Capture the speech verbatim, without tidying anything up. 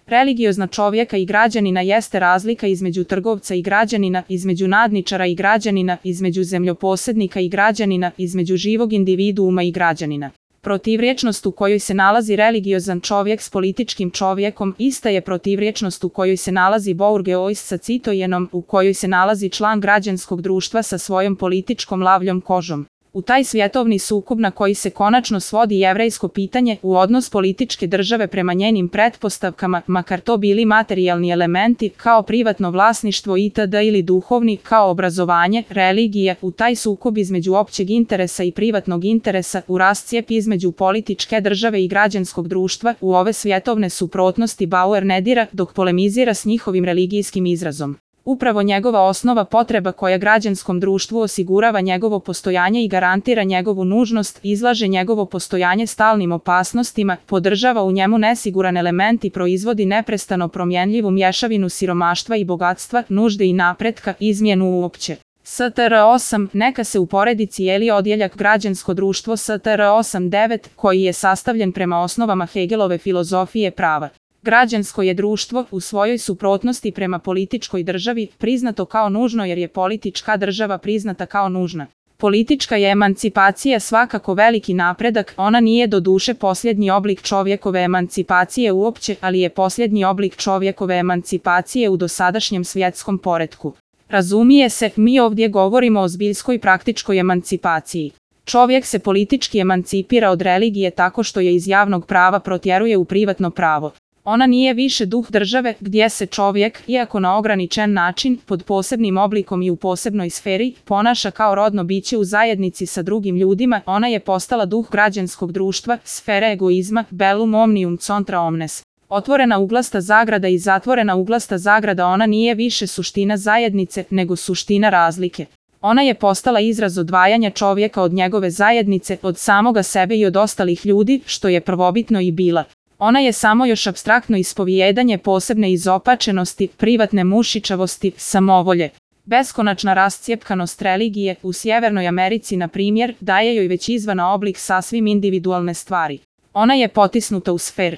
Religiozna čovjeka i građanina jeste razlika između trgovca i građanina, između nadničara i građanina, između zemljoposednika i građanina, između živog individuuma i građanina. Protivrječnost u kojoj se nalazi religiozan čovjek s političkim čovjekom ista je protivrječnost u kojoj se nalazi bourgeois sa citojenom, u kojoj se nalazi član građanskog društva sa svojom političkom lavljom kožom. U taj svjetovni sukob na koji se konačno svodi jevrejsko pitanje u odnos političke države prema njenim pretpostavkama, makar to bili materijalni elementi kao privatno vlasništvo itd. Ili duhovni kao obrazovanje, religije, u taj sukob između općeg interesa i privatnog interesa, u rascijep između političke države i građanskog društva, u ove svjetovne suprotnosti Bauer ne dira dok polemizira s njihovim religijskim izrazom. Upravo njegova osnova potreba koja građanskom društvu osigurava njegovo postojanje i garantira njegovu nužnost, izlaže njegovo postojanje stalnim opasnostima, podržava u njemu nesiguran element i proizvodi neprestano promjenljivu mješavinu siromaštva i bogatstva, nužde i napretka, izmjenu uopće. S T R osam, neka se uporedi cijeli odjeljak građansko društvo S T R osam devet, koji je sastavljen prema osnovama Hegelove filozofije prava. Građansko je društvo, u svojoj suprotnosti prema političkoj državi, priznato kao nužno jer je politička država priznata kao nužna. Politička je emancipacija svakako veliki napredak, ona nije do duše posljednji oblik čovjekove emancipacije uopće, ali je posljednji oblik čovjekove emancipacije u dosadašnjem svjetskom poretku. Razumije se, mi ovdje govorimo o zbiljskoj praktičkoj emancipaciji. Čovjek se politički emancipira od religije tako što je iz javnog prava protjeruje u privatno pravo. Ona nije više duh države, gdje se čovjek, iako na ograničen način, pod posebnim oblikom i u posebnoj sferi, ponaša kao rodno biće u zajednici sa drugim ljudima, ona je postala duh građanskog društva, sfera egoizma, bellum omnium contra omnes. Otvorena uglasta zagrada i zatvorena uglasta zagrada, ona nije više suština zajednice, nego suština razlike. Ona je postala izraz odvajanja čovjeka od njegove zajednice, od samoga sebe i od ostalih ljudi, što je prvobitno i bila. Ona je samo još apstraktno ispovijedanje posebne izopačenosti, privatne mušičavosti, samovolje. Beskonačna rascijepkanost religije, u Sjevernoj Americi na primjer, daje joj već izvana oblik sasvim individualne stvari. Ona je potisnuta u sfer.